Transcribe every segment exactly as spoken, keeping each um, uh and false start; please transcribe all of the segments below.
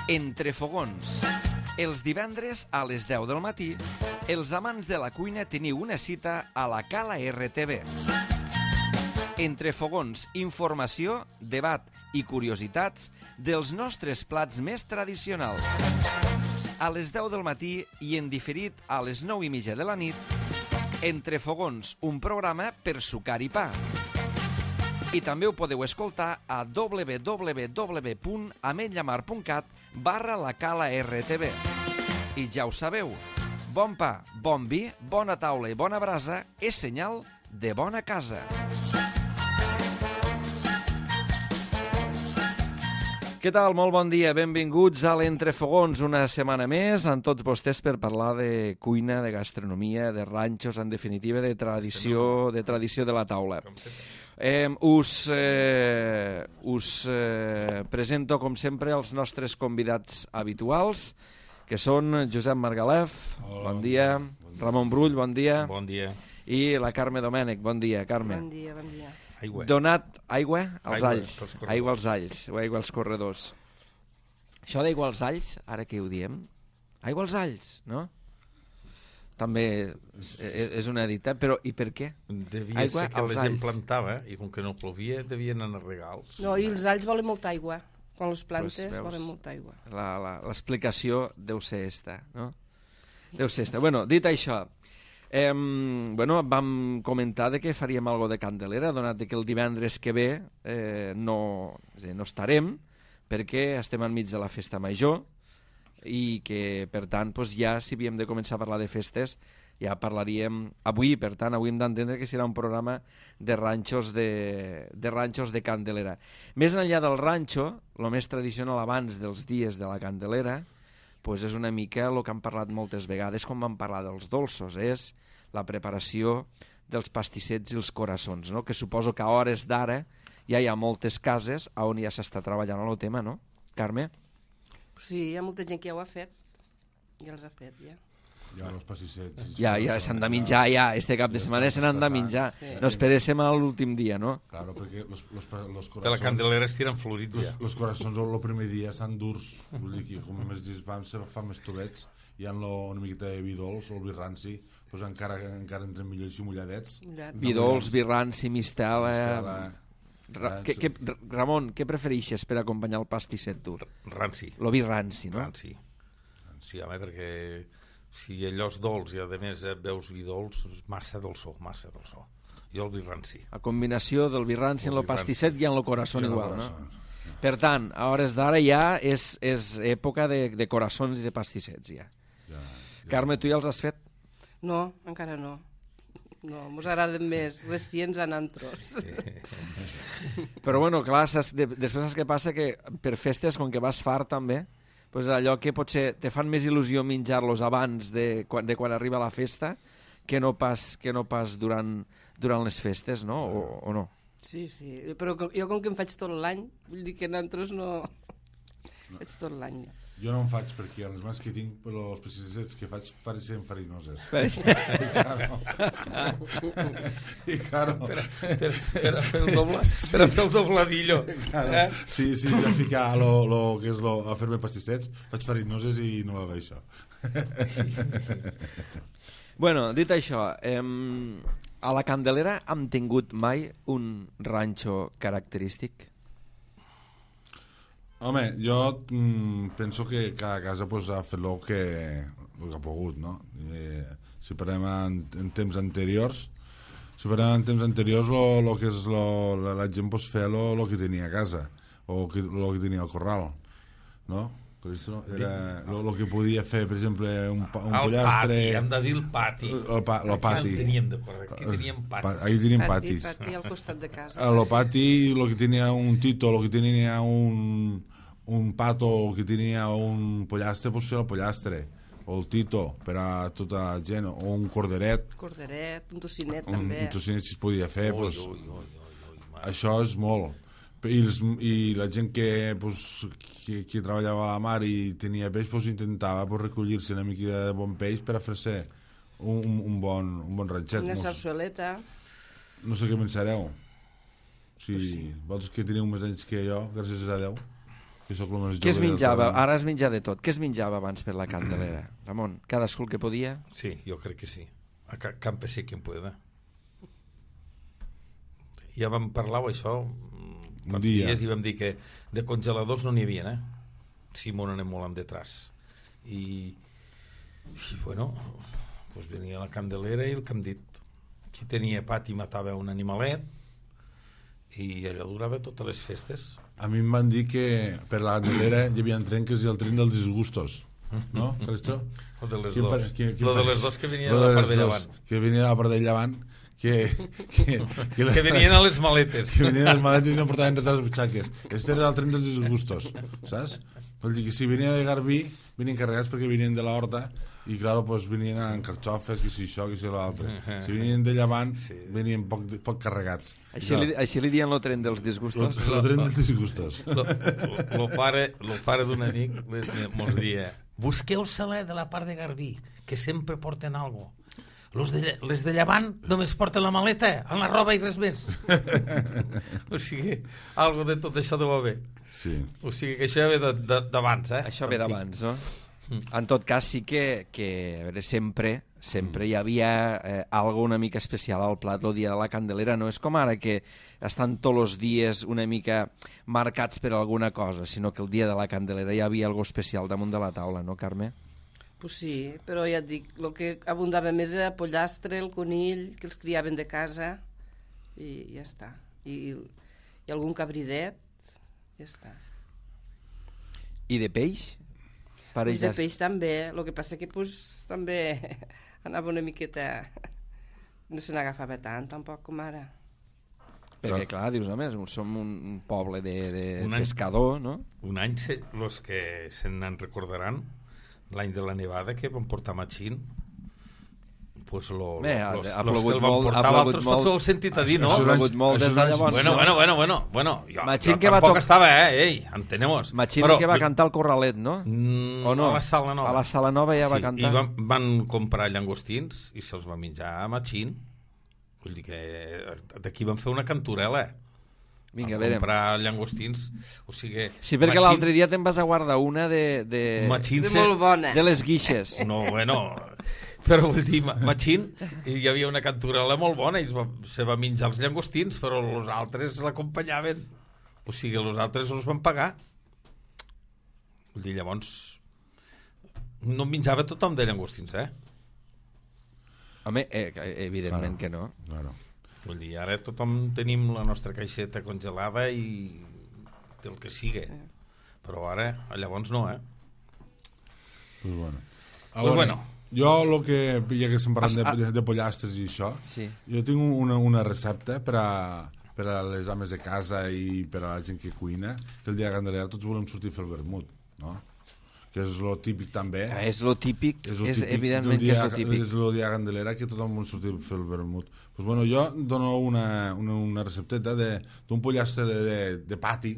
Entre fogons. Els divendres a les deu del matí, els amants de la cuina teniu una cita a la Cala R T V. Entre fogons, informació, debat i curiositats dels nostres plats més tradicionals. A les deu del matí i en diferit a les nou i mitja de la nit, Entre fogons, un programa per sucar i pa. I també ho podeu escoltar a w w w punt ametlla mar punt cat barra la Cala R T V. I ja ho sabeu, bon pa, bon vi, bona taula i bona brasa és senyal de bona casa. Què tal? Molt bon dia. Benvinguts a l'Entrefogons una setmana més amb tots vostès per parlar de cuina, de gastronomia, de ranxos, en definitiva, de tradició, de tradició de la taula. Eh, us eh, us eh, presento, com sempre, els nostres convidats habituals, que són Josep Margalef, Hola, bon dia, bon dia. Ramon Brull, bon dia. Bon dia. I la Carme Domènech, bon dia, Carme. Bon dia, bon dia. Aigua. Donat aigua als aigua, alls, aigua als alls, o aigua als corredors. Això d'aigua als alls, ara què ho diem? Aigua als alls, no? També és una editat, però i per què? Devia aigua ser que la gent alls. Plantava i com que no plovia devien anar regals. No, i els alls volen molta aigua. Quan les plantes pues, veus, volen molta aigua. L'explicació deu ser esta, no? Deu ser esta. Bueno, dit això, eh, bueno, vam comentar de que faríem algo de Candelera, donat que el divendres que ve eh, no, és a dir, no estarem, perquè estem enmig de la festa major, i que, per tant, doncs ja, si havíem de començar a parlar de festes, ja parlaríem avui, per tant, avui hem d'entendre que serà un programa de ranxos de, de ranxos de Candelera. Més enllà del ranxo, el més tradicional abans dels dies de la Candelera, doncs és una mica el que hem parlat moltes vegades quan vam parlar dels dolços, és la preparació dels pastissets i els coraçons, no? Que suposo que a hores d'ara ja hi ha moltes cases on ja s'està treballant el tema, no, Carme? Sí, hi ha molta gent que ja ho ha fet. Ja els ha fet, ja. Ja, els pastissets. Ja, ja, s'han de menjar, ja. Este cap de setmana se n'han de menjar. Sí. No esperéssim a l'últim dia, no? Claro, perquè los, los, los coraçons... De la Candelera estiren florits, ja. Los coraçons el primer dia estan durs. Vull dir que, com més dies van, se fan més tolets. Hi ha una miqueta de vi dolç, o el vi ranci, doncs encara, encara entren millor i mulladets. Vi dolç, vi ranci, mistela... mistela Ra que, que, Ramon, què prefereixes per acompanyar el pastisset dur? Ranci. Lo vi ranci, no? Ranci. Ranci, home, perquè si allò és dolç i a més veus vi dolç, és massa dolçó, massa dolçó. Jo el vi ranci. A combinació del vi ranci en el pastisset i en el corazón igual, no? Per tant, a hores d'ara ja és, és època de, de coraçons i de pastissets, ja. ja, ja. Carme, tu ja els has fet? No, encara no. No, mos agraden més recients en antros. Sí. Però bueno, clar, saps, de, després saps què passa? Que per festes, com que vas fart també, pues allò que potser te fan més il·lusió menjar-los abans de quan, de quan arriba la festa que no pas, que no pas durant, durant les festes, no? O, o no? Sí, sí, però jo com que em faig tot l'any, vull dir que en antros no... no. Faig tot l'any, ja. Jo no en faig perquè les mans que tinc, però els pastissets que faig pareixen farinoses. I claro. I claro. Per, per, per a fer el doble, per a fer el dobladillo. Claro. Eh? Sí, sí, de ficar lo, lo, que és lo, a fer-me pastissets, faig farinoses i no va bé això. Bueno, dit això, eh, a la Candelera hem tingut mai un ranxo característic? Home, jo mm, penso que cada casa pues, ha fet el que, el que ha pogut, no? Eh, si parlem en, en temps anteriors, si parlem en temps anteriors, lo, lo que és lo, la, la gent pues, feia el que tenia a casa, o el que, lo que tenia al corral, no? Era el que podia fer, per exemple, un, un el pollastre... El pati, hem de dir el pati. El, pa, el pati. Aquí teníem de correcte, aquí teníem patis. Ahí teníem patis. Pati, pati al costat de casa. El pati, el que tenia un tito, el que tenia un, un pato, el que tenia un pollastre, pues fer el pollastre. O el tito, per a tota la gent. O un corderet. Corderet, un tocinet, un, també. Un tocinet, si es podia fer. Ui, pues, ui, ui, ui, ui, això és molt. I, els, i la gent que, pues, que, que treballava a la mar i tenia peix pues, intentava pues, recollir-se una mica de bon peix per a fer-se un, un, bon, un bon ranxet. Una no sarsueleta. No sé què pensareu. Si pues sí. Vosaltres que teniu més anys que jo, gràcies a Déu. que sóc el més jove. Què es del menjava? terreny. Ara es menja de tot. Què es menjava abans per la Candelera? Ramon, cadascú el que podia? Sí, jo crec que sí. A ca campesí quien pueda. Ja vam parlar això Un dia. dies i vam dir que de congeladors no n'hi havia, eh? Si m'ho anem molt en detrás. I, i bueno, pues venia la Candelera i el que hem dit. Qui tenia pati matava un animalet i allò durava totes les festes. A mi em van dir que per la Candelera hi havia trenques i el tren dels disgustos. No, Calistro? Lo de les Quin dos. pa- quin- quin Lo de pa- les dos que venien Lo de la de part de les llevant. dos, que venia de la part de llevant, que, que, que, la- Que venien a les maletes. que venien les maletes i no portaven res a les butxaques. Este era el tren dels disgustos, saps? Vol dir que si venia de Garbí, venien carregats perquè venien de la horta i, claro, pues, venien amb carxofes, que si això, que si l'altre. Si venien de Llevant, sí. venien poc, poc carregats. Així, li, així li diuen el tren dels disgustos. El tren dels disgustos. Lo, lo, lo pare, lo pare d'un amic mos dia: busqueu saler de la part de Garbí, que sempre porten algo. Los de, les de Llevant només porten la maleta, amb la roba i res més. O sigui, algo de tot això deu haver. Sí. O sigui que això ve d'abans, eh? Això ve d'abans, no? En tot cas, sí que, que a veure, sempre, sempre hi havia eh, algo una mica especial al plat el dia de la Candelera. No és com ara que estan tots els dies una mica marcats per alguna cosa, sinó que el dia de la Candelera hi havia algo especial damunt de la taula, no, Carme? Pues sí, però ja et dic, el que abundava més era el pollastre, el conill, que els criaven de casa, i ja està. I, i algun cabridet, ja està. I de peix? Pues de peix també, el que passa que pues, també anava una miqueta... No se n'agafava tant, tampoc, com ara. Perquè, clar, dius, home, som un un poble de, de Un any- pescador, no? Un any, se, los que se'n recordaran, l'any de la nevada que van portar Machín, pues lo, Bé, lo, ha- los, ha los que plogut el van molt- ha portar plogut altres molt. potser ho heu sentit a dir, no? Això Ha plogut molt això des de és- llavors. Bueno, no? bueno, bueno, bueno, bueno, jo, Machín jo que va tampoc toc- estava, eh, ei, entenemos. Machín Però- que va cantar al Corralet, no? Mm, O no? A la Sala Nova. A la Sala Nova ja va Sí, cantar. I van, van comprar llangostins i se'ls va menjar a Machín. Vull dir que d'aquí van fer una canturela. Vinga, a Van veure. comprar llangostins. O sigui, Sí, perquè Machín- l'altre dia te'n vas a guardar una de, de, Machín De se- molt bona. de les guixes. No, bueno, però vull dir, Ma- Machín, hi havia una canturela molt bona i es va, se va menjar els llangostins, però els altres l'acompanyaven. O sigui, els altres els van pagar. Vull dir, llavors, no en menjava tothom de llangostins, eh? Home, eh, evidentment Claro. que no. Claro. Vull dir, ara tothom tenim la nostra caixeta congelada i el que sigui. Sí. Però ara, llavors no, eh? Pues bueno. A Pues veure, bueno. Jo, el que, ja que estem parlant Ah, de, de pollastres i això, Sí. jo tinc una, una recepta per a, per a les ames de casa i per a la gent que cuina, que el dia de Candelera tots volem sortir a fer el vermut, no? Que és lo típic també. Ah, és lo típic, és, lo és típic evidentment del que és dia- lo típic. És el dia de Candelera que tothom vol sortir a fer el vermut. Pues bueno, jo dono una, una, una recepteta de- d'un pollastre de, de, de pati,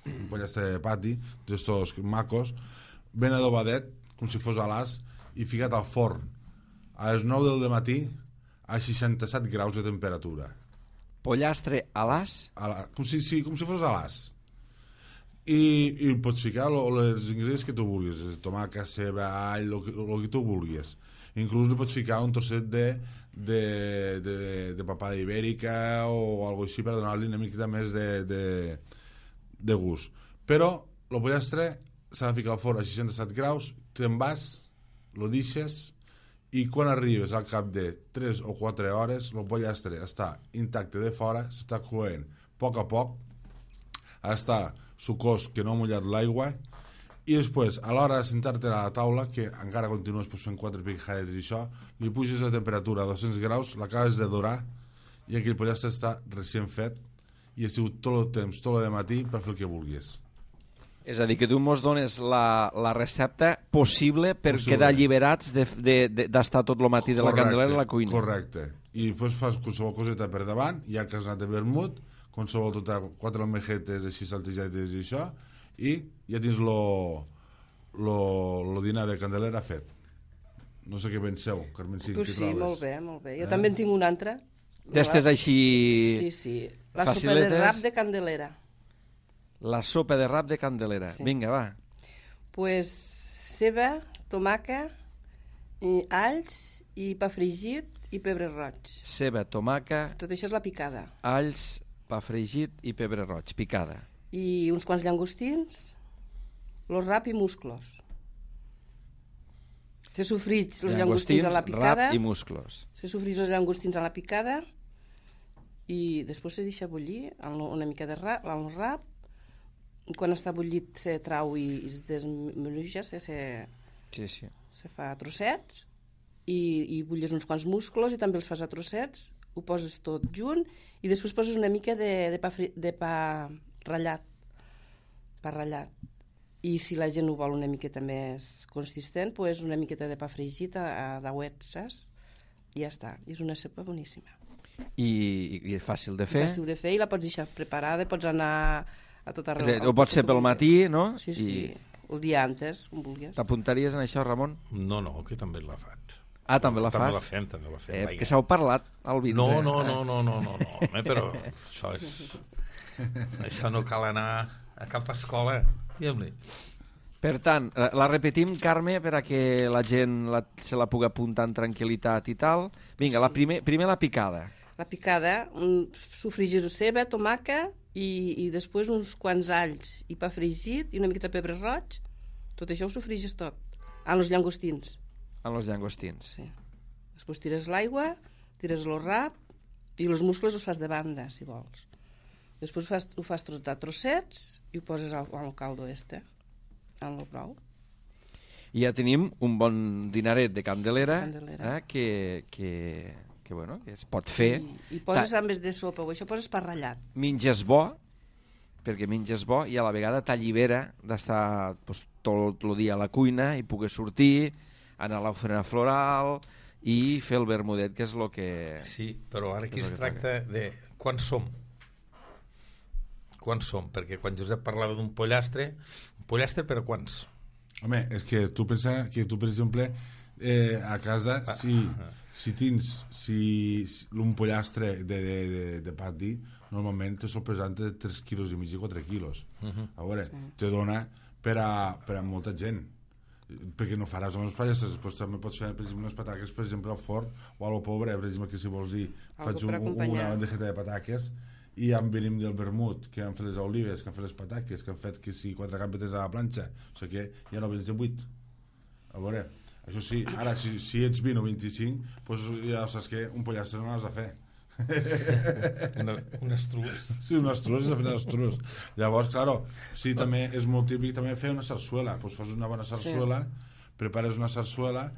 un pollastre de pati, d'estos macos, ben adobadet, com si fos a l'as, i ficat al forn a les nou del matí a seixanta-set graus de temperatura. Pollastre a l'as? A la, com, si, sí, com si fos a l'as. I, i pots ficar lo, les ingredients que tu vulguis, tomàquet, ceba, all, el que, lo que tu vulguis. Inclús li pots ficar un trosset de, de, de, de papada ibèrica o algo així per donar-li una miqueta més de, de, de gust. Però el pollastre s'ha de ficar al forn a seixanta-set graus, te'n vas, lo deixes, i quan arribes al cap de tres o quatre hores el pollastre està intacte de fora, s'està coent a poc a poc, està sucós que no ha mullat l'aigua, i després, a l'hora de sentar-te a la taula, que encara continues pues, fent quatre picades i això, li puges la temperatura a dos-cents graus, l'acabes de dorar, i aquell pollastre està recient fet, i ha sigut tot el temps, tot el matí, per fer el que vulguis. És a dir, que tu mos dones la, la recepta possible per Possible. quedar alliberats d'estar de, de, d'estar tot el matí de la Candelera a la cuina. Correcte. I després fas qualsevol coseta per davant, ja que has anat a vermut, qualsevol tota, quatre almejetes així saltejates i això, i ja tens lo, lo, lo dinar de Candelera fet. No sé què penseu, Carmen, si Pues què sí, trobes? molt bé, molt bé. Jo Eh? també en tinc una altra. D'estes així... Sí, sí. La sopa faciletes. de rap de Candelera. La sopa de rap de Candelera. Sí. Vinga, va. Pues ceba, tomaca, i alls i pa fregit i pebre roig. Ceba, tomaca, Tot això és la picada. alls, pa fregit i pebre roig, picada. I uns quants llangostins, lo rap i musclos. Se sofrits els llangostins a la picada, rap i musclos. se sofrits els llangostins a la picada i després se deixa bullir amb una mica de rap, amb el rap. Quan està bullit se trau i es desmenuja, se, se, Sí, sí. se fa a trossets i, i bulles uns quants musclos i també els fas a trossets, ho poses tot junt i després poses una mica de, de, pa, fri, de pa ratllat, pa ratllat. I si la gent ho vol una miqueta més consistent, pues una miqueta de pa fregit a, a dauet, saps? I ja està, és una sopa boníssima. I, i és fàcil de fer. Fàcil de fer i la pots deixar preparada, pots anar a tot arreu. És a dir, ho pots fer pel matí, no? Sí, sí, I... el dia antes, on vulguis. T'apuntaries en això, Ramon? No, no, que també la faig. Ah, també la També fas? la fem, també la fem. Eh, vaja. que s'heu parlat al vindre. No, no, no, no, no, no, no, home, però això és... Això no cal anar a cap escola, diguem-li. Per tant, eh, la repetim, Carme, per a que la gent la, se la pugui apuntar en tranquil·litat i tal. Vinga, la primer, primer la picada. La picada, un sofregir ceba, tomaca i, i després uns quants alls i pa fregit i una miqueta de pebre roig. Tot això ho sofregis tot. Amb els llangostins. Amb els llangostins. Sí. Després tires l'aigua, tires el rap i els muscles els fas de banda, si vols. Després ho fas, ho fas a trossets i ho poses al, al caldo este, amb el brou. I ja tenim un bon dinaret de Candelera, Candelera. Eh, que, que, que, bueno, que es pot fer. I, i poses en vez de sopa o això poses pa ratllat. Menges bo, perquè menges bo i a la vegada t'allibera d'estar pues, tot el dia a la cuina i poder sortir, anar a l'ofrena floral i fer el vermudet, que és el que... Sí, però ara aquí És es el que tracta de quan som. Quan som? Perquè quan Josep parlava d'un pollastre, un pollastre per a quants? Home, és que tu pensa que tu, per exemple, eh, a casa, Ah, si, ah. si tens si, si un pollastre de, de, de, de pati, normalment te sol pesar entre tres quilos i mig i quatre quilos. Uh -huh. A veure, Sí. te dona per a, per a molta gent, perquè no faràs només pollastres, després també pots fer, per exemple, unes pataques, per exemple, al forn o a lo pobre, per exemple, que si vols dir, Algo faig per un, acompanyar. una bandejeta de pataques i ja en venim del vermut, que han fet les olives, que han fet les pataques, que han fet que si quatre gambetes a la planxa, o sigui que ja no vens de vuit. A veure, això sí, ara, si, si ets vint o vint-i-cinc, doncs ja saps que un pollastre no l'has de fer. Una, un estrus. Sí, un estrus, és de fer estrus. Llavors, claro, sí, també és molt típic també fer una sarsuela. Doncs fas una bona sarsuela, sí. Prepares una sarsuela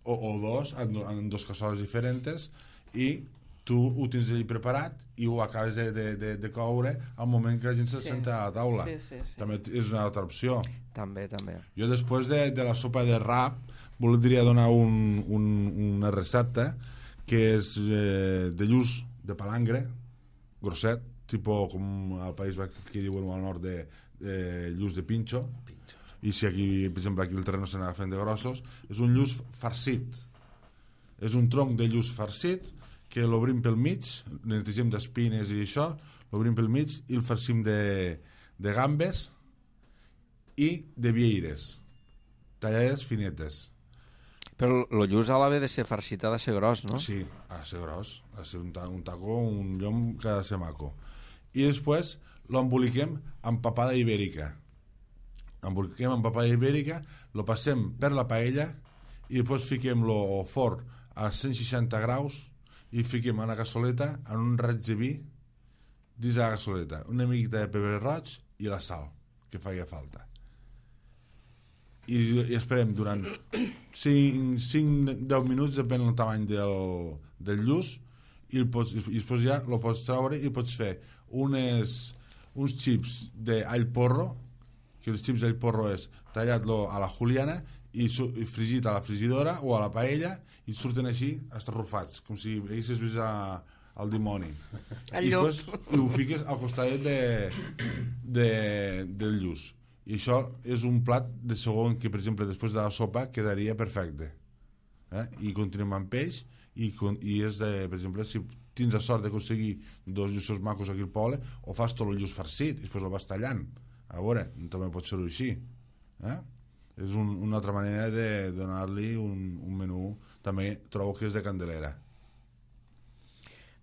o, o dos, en, en dos cassoles diferents, i tu ho tens allà preparat i ho acabes de, de, de, de coure al moment que la gent se Sí. senta a la taula. Sí, sí, sí. També és una altra opció. També, també. Jo després de, de la sopa de rap voldria donar un, un, una recepta que és eh, de lluç de palangre, grosset, tipus com al País Basc que diuen al nord de, de lluç de pinxo, i si aquí, per exemple, aquí el terreno se n'agafen de grossos, és un lluç farcit. És un tronc de lluç farcit que l'obrim pel mig, netegem d'espines i això, l'obrim pel mig i el farcim de, de gambes i de vieires, tallades finetes. Però el lluç ha d'haver de ser farcit, ha de ser gros, no? Sí, ha de ser gros, ha de ser un, ta un taco, un llom que ha de ser maco. I després l'emboliquem amb papada ibèrica. Emboliquem amb papada ibèrica, lo passem per la paella i després fiquem-lo al forn a cent seixanta graus i fiquem en la cassoleta en un raig de vi dins la cassoleta, una miqueta de pebre roig i la sal que faci falta. I, i esperem durant cinc a deu minuts, depèn del tamany del, del lluç, i, el pots, i després ja el pots treure i pots fer unes, uns xips d'all porro, que els xips d'all porro és tallat-lo a la juliana i, su, i fregit a la frigidora o a la paella i surten així estarrufats, com si haguessis vist a, al dimoni. El I llop. després i ho fiques al costat de, de, del lluç. I això és un plat de segon que, per exemple, després de la sopa quedaria perfecte. Eh? I continuem amb peix i, i és de, per exemple, si tens la sort d'aconseguir dos lluços macos aquí al poble, o fas tot el lluç farcit i després el vas tallant. A veure, també pot ser-ho així. Eh? És un, una altra manera de donar-li un, un menú, també trobo que és de Candelera.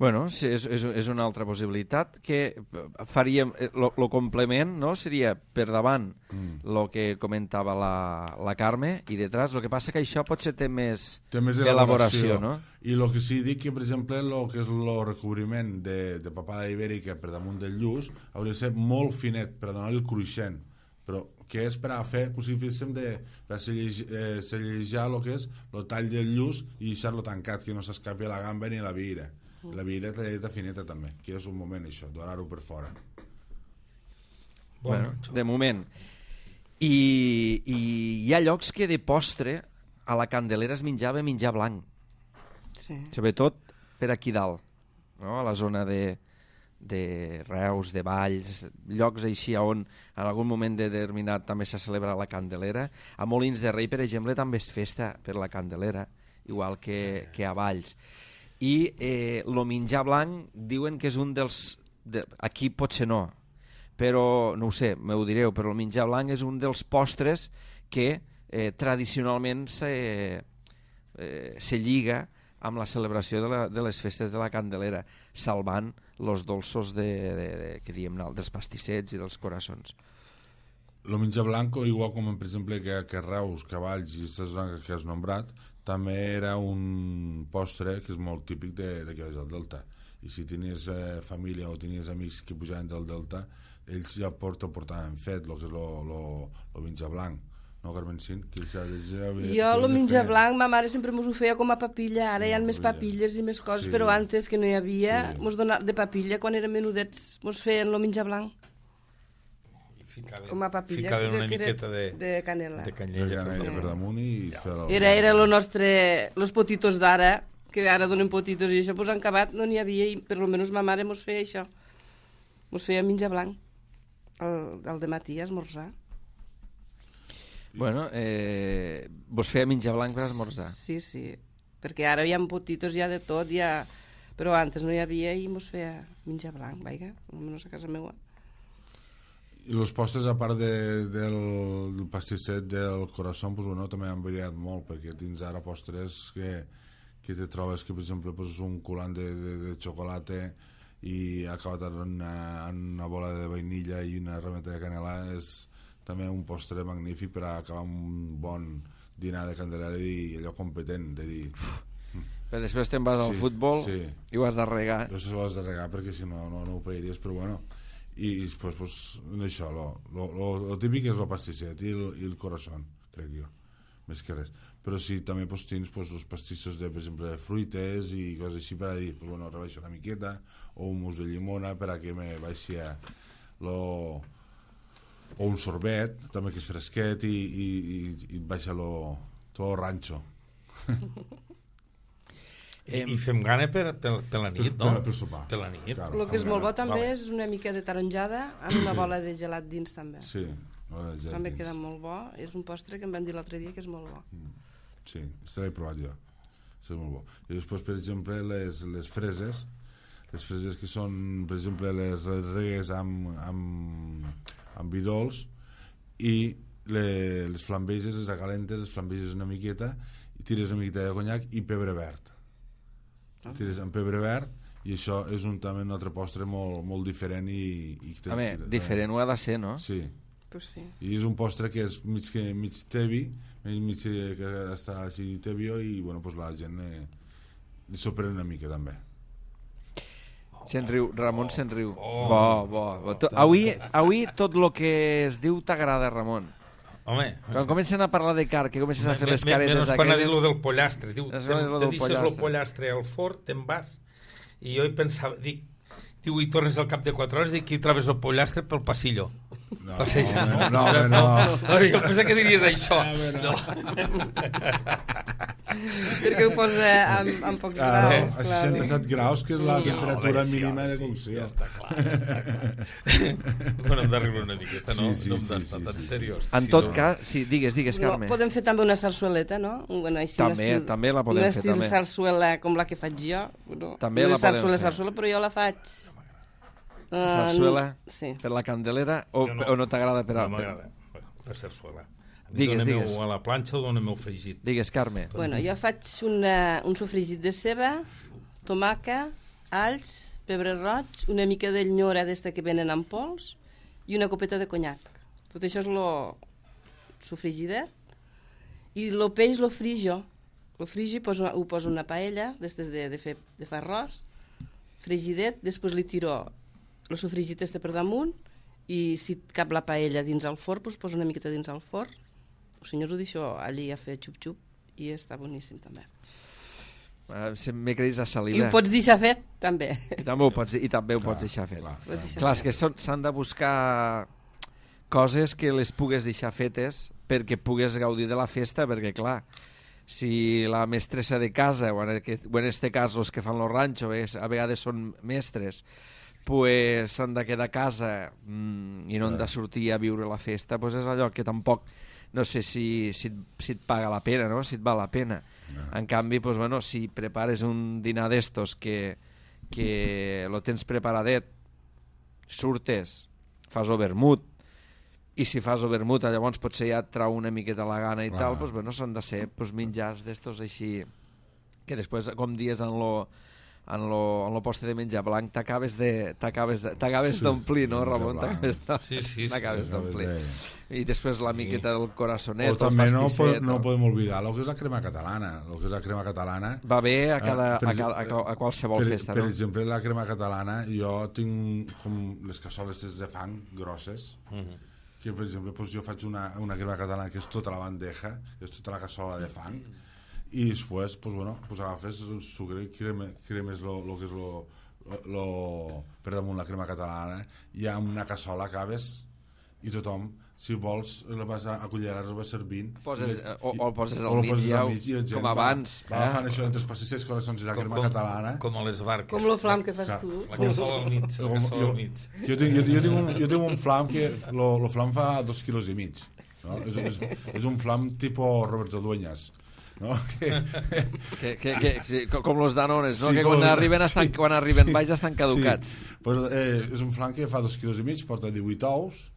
Bueno, sí, és, és, és una altra possibilitat que faríem, el complement, no?, seria per davant el mm. que comentava la, la Carme i detrás, el que passa que això potser té més, té més elaboració, no? I el que sí dic que, per exemple, el que és el recobriment de, de papada ibèrica per damunt del lluç hauria de ser molt finet per donar-li el cruixent, però que és per a fer, com si féssim de, per sellejar el que és el tall del lluç i deixar-lo tancat, que no s'escapi a la gamba ni a la vira. La vira talladeta fineta també, que és un moment això, donar-ho per fora. Bueno, de moment. I, I hi ha llocs que de postre a la Candelera es menjava menjar blanc. Sí. Sobretot per aquí dalt, no? A la zona de, de Reus, de Valls, llocs així on en algun moment determinat també s'ha celebrat la Candelera. A Molins de Rei, per exemple, també és festa per la Candelera, igual que, que a Valls. I eh, el menjar blanc diuen que és un dels... De, aquí potser no, però no ho sé, m'ho direu, però el menjar blanc és un dels postres que eh, tradicionalment se, eh, se lliga amb la celebració de, la, de les festes de la Candelera, salvant els dolços de, de, de, que diem, dels pastissets i dels coraçons. El menjar blanc, igual com per exemple que, que Reus, Cavalls i aquesta zona que has nombrat, també era un postre que és molt típic de, de que és el Delta. I si tenies eh, família o tenies amics que pujaven del Delta, ells ja porta, portaven fet el que és el menjar blanc. No, Carmencín? Que ja, ja, jo el menjar blanc, ma mare sempre mos ho feia com a papilla, ara no, hi ha més papilles i més coses, sí. Però antes que no hi havia, sí. Mos donava de papilla, quan érem menudets, mos feien el menjar blanc. Ficaven, com a papilla ficaven una miqueta de, de canela, de canyella, de canella per damunt i ja. Fer era, era lo nostre, los potitos d'ara, que ara donen potitos i això, pues han acabat, no n'hi havia, i per almenys ma mare mos feia això, mos feia menjar blanc el, el dematí a esmorzar. Bueno, eh, vos feia menjar blanc per esmorzar? Sí, sí, perquè ara hi ha potitos ja de tot, ja, però antes no hi havia i mos feia menjar blanc, vaiga, almenys a casa meva. I els postres, a part de, del, del pastisset del corazón, pues, bueno, també han variat molt, perquè tens ara postres que, que te trobes que, per exemple, pues, un culant de, de, de xocolata i acabat en una, en una bola de vainilla i una rameta de canela, és també un postre magnífic per a acabar un bon dinar de Candelera i allò competent, de dir... Però després te'n vas sí, al futbol sí. I ho has de regar. Jo ho has de regar perquè si no, no, no ho pagaries, però bueno... i després pues, això, lo, lo, lo, lo típic és el pastisset i el, i el corazón, crec jo, més que res. Però sí, també pues, tens pues, els pastissos de, per exemple, de fruites i coses així per a dir, pues, bueno, rebaixo una miqueta, o un mousse de llimona per a que me baixi a lo... o un sorbet, també que és fresquet i, i, i, i et baixa lo, tot el ranxo. I, i fem gana per, per, per la nit, no? Per, per sopar. Per la nit. Claro, el que és molt bo també vale. És una mica de taronjada amb una bola de gelat dins també. Sí, bola de gelat també dins. queda molt bo, és un postre que em van dir l'altre dia que és molt bo. Sí, això l'he provat jo, és molt bo. I després, per exemple, les, les freses, les freses que són, per exemple, les regues amb, amb, amb vi dolç i les, les flambeges, les acalentes, les flambeges una miqueta i tires una miqueta de conyac i pebre verd. Tires amb pebre verd i això és un, també un altre postre molt, molt diferent i, i a veure, diferent ho ha de ser, no? Sí. Pues sí. I és un postre que és mig, que, mig tevi, mig que està així tebio i bueno, pues la gent eh, li s'ho una mica també. Se'n riu, Ramon se'n riu. Oh, bo, bo, bo. To, avui, avui tot el que es diu t'agrada, Ramon. Home, quan comencen a parlar de car, que comences a fer les caretes menys quan ha dit lo del pollastre, diu, te, te deixes el pollastre al forn, te'n vas i jo hi pensava, dic, diu, i tornes al cap de quatre hores, dic, i trobes el pollastre pel passillo. No, passeja. no, no, no, no. Jo pensava que diries això. No, no. perquè ho posa amb, amb pocs Ah, graus. no, a seixanta-set graus, que és la temperatura mínima de cocció. Ja està clar, ja està clar. Bueno, hem de riure una miqueta, no? Sí, sí, no hem sí, d'estar sí, tan sí, sí. seriós. En Si tot no- cas, sí, digues, digues, No, Carme. podem fer també una sarsueleta, no? Bueno, així, un També, estil, també la podem un fer, estil també. sarsuela com la que faig jo. No? També no la és podem sarsuela, fer. sarsuela, però jo la faig... eh, Sarsuela Sí. per la Candelera o, Jo no. o no t'agrada per a... No m'agrada, la sarsuela. A mi Digues, dóna-me-ho digues. a la planxa o dóna-me-ho fregit. Digues, Carme. Bueno, jo faig una, un sofregit de ceba, tomaca, alls, pebre roig, una mica de lnyora d'esta que venen en pols i una copeta de conyac. Tot això és lo sofregidet. I el peix lo frijo. Lo frijo i poso, ho poso en una paella, d'estes de, de, fer, de fer arròs, frigidet, després li tiro el sofregit este per damunt i si cap la paella dins el forn, doncs poso una miqueta dins el forn. Els senyors ho deixo allí a fer xup-xup i està boníssim també. Uh, M'he creït a I salida. ho pots deixar fet, també. I també ho pots, i també ho Clar, pots deixar fet. clar. Ho pots deixar Clar, és fet. que són- s'han de buscar coses que les pugues deixar fetes perquè pugues gaudir de la festa, perquè clar, si la mestressa de casa, o en, aquest, o en este cas els que fan los ranxos, a vegades són mestres, pues s'han de quedar a casa mm, i no han de sortir a viure la festa, pues és allò que tampoc no sé si, si, et- si et paga la pena, no? Si et val la pena. No. En canvi, pues, bueno, si prepares un dinar d'estos que, que lo tens preparadet, surtes, fas o vermut, i si fas o vermut, llavors potser ja et trau una miqueta la gana i Clar. tal, pues, bueno, són de ser pues, menjars d'estos així, que després, com dies en lo, en lo, en lo postre de menjar blanc, t'acabes de t'acabes de- t'acabes Sí, d'omplir, no, menjar Ramon? blanc. T'acabes de- Sí, sí, sí, t'acabes Acabes d'omplir. de- I després la miqueta del corazonet, O també el no, pastisset... po- no o- podem oblidar el que és la crema catalana. El que és la crema catalana... Va bé a, cada, Ah, per a, cada, a, exemple, qual- a qualsevol per, festa, per no? exemple, la crema catalana, jo tinc com les cassoles de fang grosses, Mhm. que per exemple doncs jo faig una, una crema catalana que és tota la bandeja, que és tota la cassola de fang, i després pues, bueno, pues agafes el sucre i creme, cremes lo, lo que és lo, lo, lo, per damunt la crema catalana, i amb una cassola acabes i tothom, si vols, el vas a, a cullerars, el vas servint. Poses, i- o, o el poses o al el mig, poses ja, al mig i la gent com abans. Va, va agafant això entre els pastisses, coraçons i la crema catalana. com a les barques. Com lo flam que fas Clar. tu. La cassola al mig, la Com- cassola jo, al mig. jo, tinc, jo, jo, tinc un, jo tinc un flam que lo, lo flam fa dos quilos i mig, no? és, és, és un flam tipo Roberto Dueñas, no? que, Que, que, que, sí, co- com los danones, no? Sí, que com quan los- arriben, estan, sí, quan arriben sí, baix estan caducats. Sí. Pues, eh, és un flam que fa dos quilos i mig, porta divuit ous,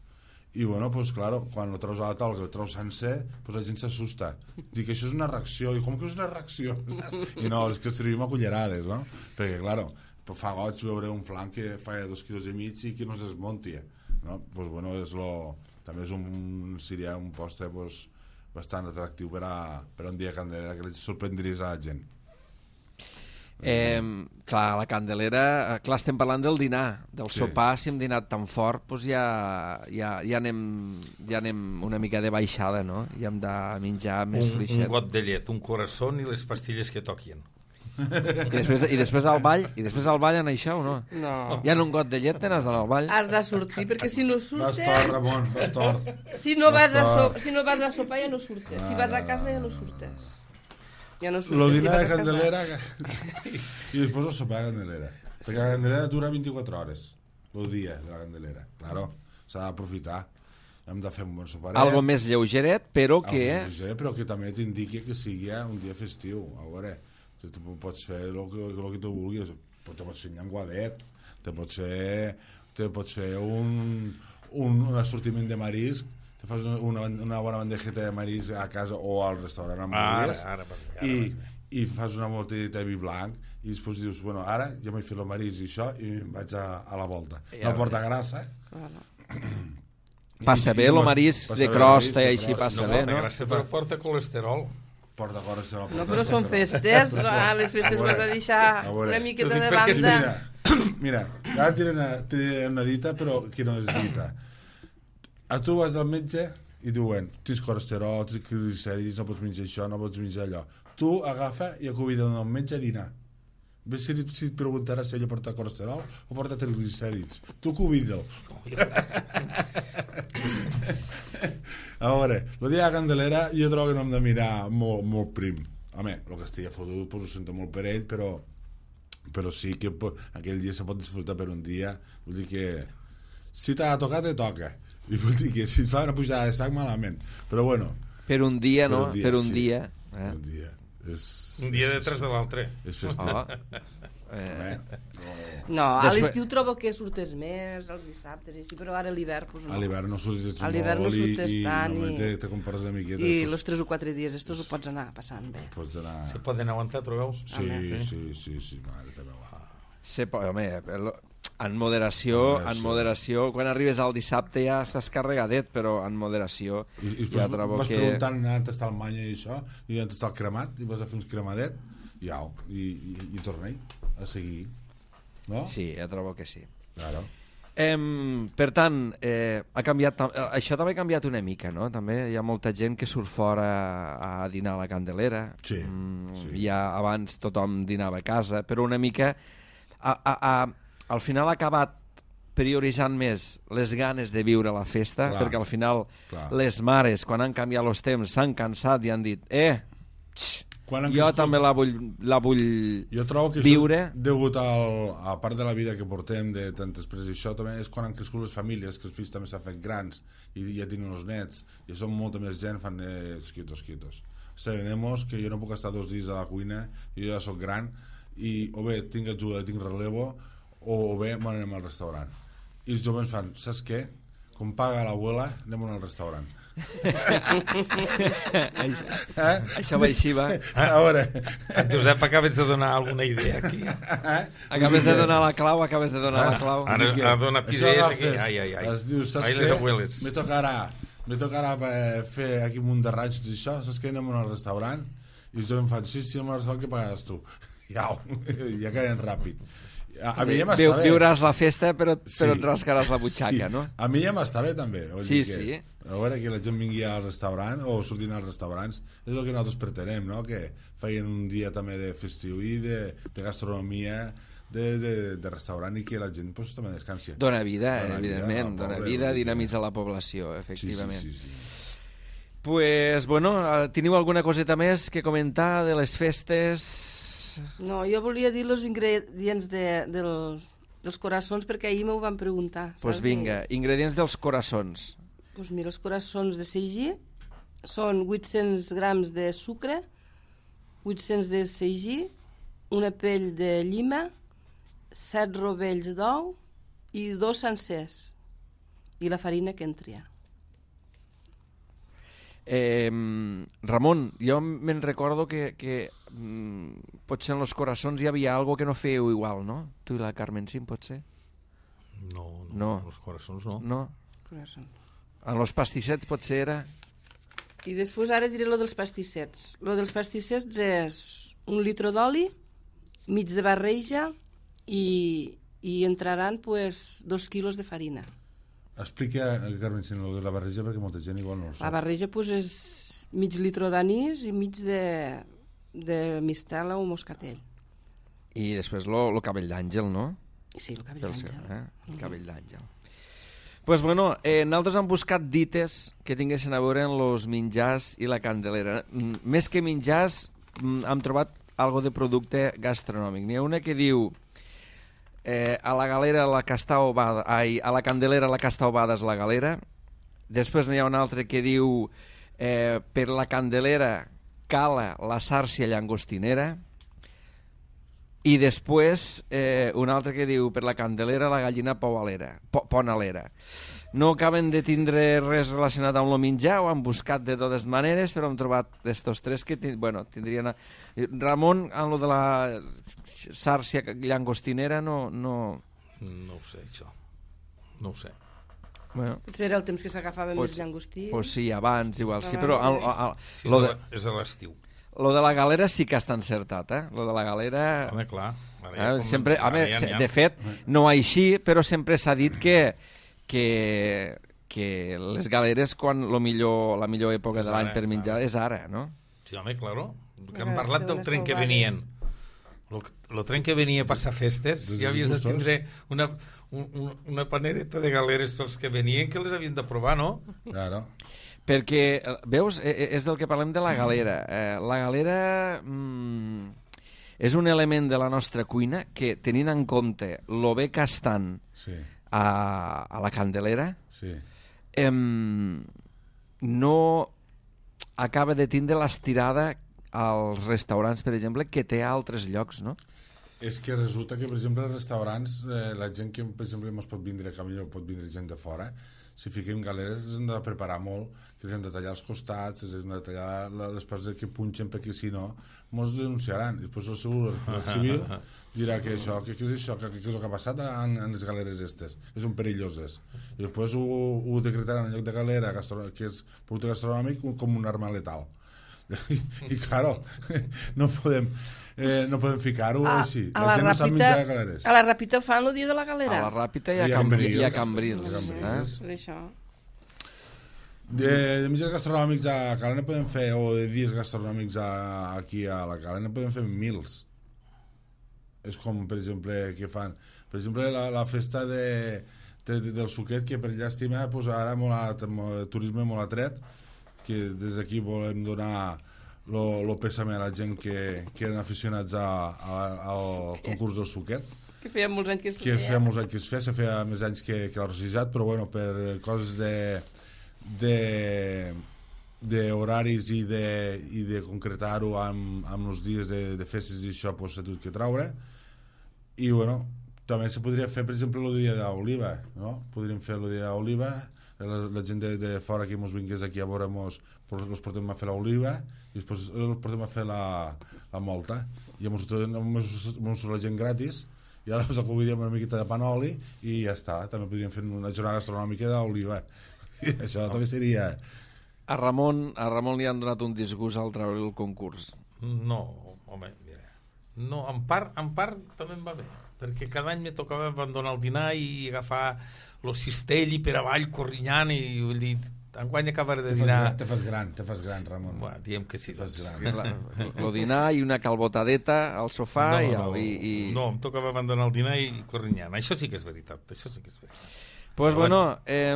i bueno, pues claro, quan lo treus a la taula, que el treus sencer, pues la gent s'assusta. Dic, això és una reacció. I com que és una reacció? I no, és que servim a cullerades, no? Perquè, claro, pues fa goig veure un flam que fa dos quilos i mig i que no es desmonti, no? Pues bueno, és lo... també és un, seria un postre pues, bastant atractiu per a, per a un dia de Candelera, que li sorprendries a la gent. Eh, clar, la Candelera, eh, clar, estem parlant del dinar, del Sí. sopar, si hem dinat tan fort, doncs ja, ja, ja, anem, ja anem una mica de baixada, no? Ja hem de menjar més Un, un fluixet. got de llet, un corazón i les pastilles que toquin. I després, I després al ball, i després al ball en això o no? No. Ja en un got de llet te n'has d'anar al ball? Has de sortir, perquè si no Vas surtes... tort, Ramon, vas tort. Si no, vas a Vas so, si no vas a sopar ja no surtes. Si vas a casa ja no surtes. Ja no surtes. Lo si dinar vas de a casa. Candelera i després el sopar de Candelera, perquè la Candelera dura vint-i-quatre hores el dia de la Candelera, claro, s'ha d'aprofitar, hem de fer un bon soparet, Algo més lleugeret, però que... algo més, eh, però que també t'indiqui que sigui un dia festiu. A veure, tu tu pots fer el que, el que tu vulguis, te pots fer un llenguadet, te pots fer, te pots fer un, un, un assortiment de marisc, te fas una, una bona bandejeta de marisc a casa o al restaurant amb Ara, vulguis, ara, ara, i, i fas una mortadeta de vi blanc i després dius, bueno, ara ja m'he fet el marisc i això i em vaig a, a la volta. Ja, No porta grassa. Ah, no. Passa I- bé i el vas- marisc passa de bé el crosta i marisc de així crosta. passa No bé, porta no? gràcia, però porta colesterol. Porta colesterol. No, però són festes. No? A les festes A veure, has de deixar a veure. una miqueta Però de dic, perquè Sí, banda. mira, mira, ara diré una, diré una dita, però que no és dita. A tu vas al metge i diuen, tens colesterol, tens gliceris, no pots menjar això, no pots menjar allò. Tu agafa i acudida al metge a dinar. Ves si, si et preguntarà si ella porta colesterol o porta triglicèrids. Tu cuida'l. A veure, el dia de la Candelera jo trobo que no hem de mirar molt, molt prim. home, el que estigui fotut pues, ho sento molt per ell, però però sí que aquell dia se pot disfrutar per un dia, vull dir que si t'ha de tocar, te toca, i vull dir que si et fa una pujada de sac, malament, però bueno, per un dia, per no? un dia, Per un sí. dia, eh? un dia és, Un dia és, detrás de l'altre. és festiu. Oh. Eh, Home, No, a Després- l'estiu trobo que surtes més, els dissabtes, i sí, però ara a l'hivern, pues, no. a l'hivern no surts A l'hivern no molt i, surtes i tant només i- te, te compares una miqueta, I pues, els tres o quatre dies estos ho pots anar passant bé. pots anar... Se poden aguantar, però veus? Sí, Home. sí, sí, sí, mare teva. se po- home, el- en moderació, Moderació. en moderació, quan arribes al dissabte ja estàs carregadet, però en moderació I, i ja després trobo vas que... preguntant on està el manya i això, i on està el cremat, i vas a fer uns cremadet, i au, i, i, i torna a seguir, no? Sí, ja trobo que sí. Claro. Em, per tant, eh, ha canviat, tam- eh, això també ha canviat una mica, no? També hi ha molta gent que surt fora a dinar a la Candelera. Sí, Mm, sí. Ja abans tothom dinava a casa, però una mica... A, a, a, al final ha acabat prioritzant més les ganes de viure la festa, Clar, perquè al final clar. les mares, quan han canviat els temps, s'han cansat i han dit eh, tx, Quan han jo crescut- també la vull, la vull Jo trobo que viure. això és degut al, a part de la vida que portem de tant després d'això, també és quan han crescut les famílies, que els fills també s'han fet grans i ja tenen els nets, i són molta més gent, fan eh, quitos, quitos. Serenemos, que jo no puc estar dos dies a la cuina, jo ja sóc gran, i o bé tinc ajuda, tinc relevo, o, o bé m'anem al restaurant. I els joves fan, saps què? Com paga l'abuela, anem al restaurant. això, Eh? això va així, va. A veure... En Josep, acabes de donar alguna idea aquí. Acabes de donar la clau, acabes de donar la clau. Ara Dic que ha donat això idees agafes, aquí. Ai, ai, ai. Es diu, saps Ai, les què? abueles. Me tocarà, me tocarà eh, fer aquí un munt de ranxos i això, saps què? Anem al restaurant i jo em fan, sí, sí, anem al restaurant, que pagaràs tu? Ja, ja caiem ràpid. A, a mi ja m'està Viu, bé. viuràs la festa, però, Sí. però et rascaràs la butxaca, Sí. no? A mi ja m'està bé, també. Vull Sí, dir que, sí. A veure, que la gent vingui al restaurant o sortint als restaurants, és el que nosaltres pretenem, no? Que feien un dia també de festiu i de, de gastronomia, de, de, de restaurant, i que la gent pues, també descansi. Dona vida, Dona vida evidentment, al dona poble, vida, vull dir que- dinamitza la població, Sí, sí, efectivament. sí, sí. Pues, bueno, eh, teniu alguna coseta més que comentar de les festes? No, jo volia dir els ingredients de, del, dels coraçons, perquè ahir m'ho van preguntar. Pues saps? vinga, ingredients dels coraçons. Pues mira, els coraçons de seigi són vuit-cents grams de sucre, vuit-cents de seigi, una pell de llima, set rovells d'ou i dos sencers. I la farina que entri. Eh, Ramon, jo me'n recordo que, que mm, potser en los coraçons hi havia algo que no fèieu igual, no? Tu i la Carmen Sim, potser? No, no, No. els coraçons no. No? Coraçons. En los pastissets potser era... I després ara diré lo dels pastissets. Lo dels pastissets és un litre d'oli, mig de barreja i, i entraran pues, dos quilos de farina. Explica, Carmen, si no, la barreja, perquè molta gent igual no ho La sap. barreja pues, és mig litre d'anís i mig de, de mistela o moscatell. I després lo, lo cabell d'àngel, no? Sí, el cabell Del seu, d'àngel. eh? El cabell d'àngel. Pues bueno, eh, nosaltres hem buscat dites que tinguessin a veure amb els menjars i la Candelera. Mm, més que menjars, mm, hem trobat algo de producte gastronòmic. N'hi ha una que diu eh, a la galera la casta ovada, ai, a la Candelera la casta ovada és la galera. Després n'hi ha una altra que diu eh, per la Candelera cala la sàrcia llangostinera. I després eh, un altre que diu per la Candelera la gallina poalera, po, ponalera. No acaben de tindre res relacionat amb el menjar, ho han buscat de totes maneres, però hem trobat d'estos tres que bueno, tindrien... A... Ramon, amb lo de la sàrcia llangostinera no... no... No ho sé, això. No ho sé. Bueno, Potser era el temps que s'agafaven pues, més llangostí. pues sí, abans igual, sí, Abans, però... El, sí. el, el, Si lo, és, de, a- és a l'estiu. lo de la galera sí que està encertat, eh? Lo de la galera... Home, clar. Ara Eh, ja com- sempre, ara home, ja se- n'hi ha. de fet, no així, però sempre s'ha dit que, que, que les galeres, quan lo millor, la millor època És de l'any ara, per és menjar ara. és ara, no? Sí, home, claro. Que Ara hem parlat esteu del unes tren que taubades. venien. Lo, lo tren que venia a passar festes, Des ja havies de gustos. tindre una, un, un, una panereta de galeres pels que venien que les havien de provar, no? Claro. Perquè, veus, és del que parlem de la galera. Eh, la galera mm, és un element de la nostra cuina que, tenint en compte lo bé que estan Sí, a, a la Candelera, sí. eh, no acaba de tindre l'estirada als restaurants, per exemple, que té a altres llocs, no? És que resulta que, per exemple, als restaurants, eh, la gent que, per exemple, mos pot vindre a Camilló, pot vindre gent de fora, si fiquem galeres, els hem de preparar molt, que els hem de tallar els costats, els hem de tallar la- les parts que punxen, perquè si no, mos denunciaran. I després el seu civil dirà que això, que, que és això, que, que és el que ha passat en, en les galeres estes, que són perilloses. I després ho, ho decretaran en lloc de galera, gastro, que és producte gastronòmic, com una arma letal. I, i claro, no podem eh, no podem ficar-ho així. a La, la gent no sap Ràpita, menjar galeres. a la Ràpita fan el dia de la galera. A la Ràpita i a, I a Cambrils. Cambrils. I a Cambrils. I a Eh? Cambrils. Per això. De, de mitjans gastronòmics a Calena podem fer, o de dies gastronòmics a, aquí a la Calena podem fer mils. És com, per exemple, que fan... Per exemple, la, la festa de, de, de, del suquet, que per llàstima pues, ara molt a, molt, turisme molt atret, que des d'aquí volem donar lo, lo pèsame a la gent que, que eren aficionats a, a, al concurs del suquet, Que feia molts anys que es que feia. feia molts anys que es feia, se feia més anys que, que l'ha rosijat, però bueno, per coses de de d'horaris i de, i de concretar-ho amb, amb els dies de, de festes i això pues, s'ha hagut que traure. I bueno, també se podria fer, per exemple, el dia d'Oliva, no? Podríem fer el dia d'Oliva, la, la gent de, de fora que mos vingués aquí a veure mos, els portem a fer l'oliva i després els portem a fer la, la molta i mos, mos, mos la gent gratis i ara us acudíem una miqueta de panoli i ja està, també podríem fer una jornada gastronòmica d'oliva i això també seria... A Ramon, a Ramon li han donat un disgust al treure el concurs. No, home, mira. No, en part, en part també em va bé, perquè cada any me tocava abandonar el dinar i agafar el cistell i per avall corrinyant i vull dir, enguany acabaré de Te fas, dinar... gran, te fas gran, te fas gran, Ramon. Bueno, diem que sí, doncs. El dinar i una calbotadeta al sofà No, i, no, i, i... no, em tocava abandonar el dinar i corrinyant. Això sí que és veritat, això sí que és veritat. Pues Però bueno, eh,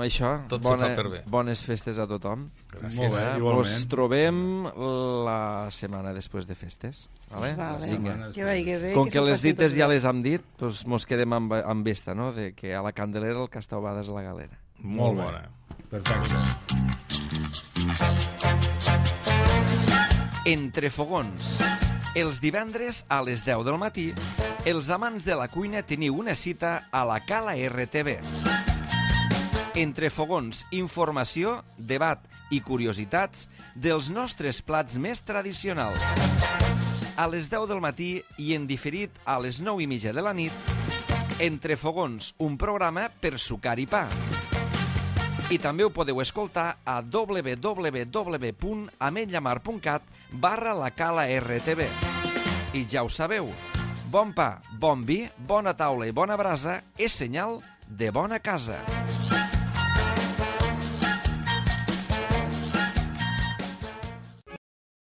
això, Tot se bona, fa per bé. bones festes a tothom. Gràcies. Molt bé, Eh? igualment. Ens trobem la setmana després de festes. Vale? Vale. Vinga. Setmana Que vagi bé. Com que que s'ho les passin dites tots ja bé. les hem dit, doncs mos quedem amb, amb esta, no? De que a la Candelera el Castaubada és la galera. Molt bé. bona. Perfecte. Entre fogons. Els divendres a les deu del matí, els amants de la cuina teniu una cita a la Cala R T V. Entre fogons, informació, debat i curiositats dels nostres plats més tradicionals. A les deu del matí i en diferit a les nou i mitja de la nit, Entre fogons, un programa per sucar i pa. I també ho podeu escoltar a w w w punt ametlllamar punt cat barra la Cala R T V. I ja ho sabeu, bon pa, bon vi, bona taula i bona brasa és senyal de bona casa.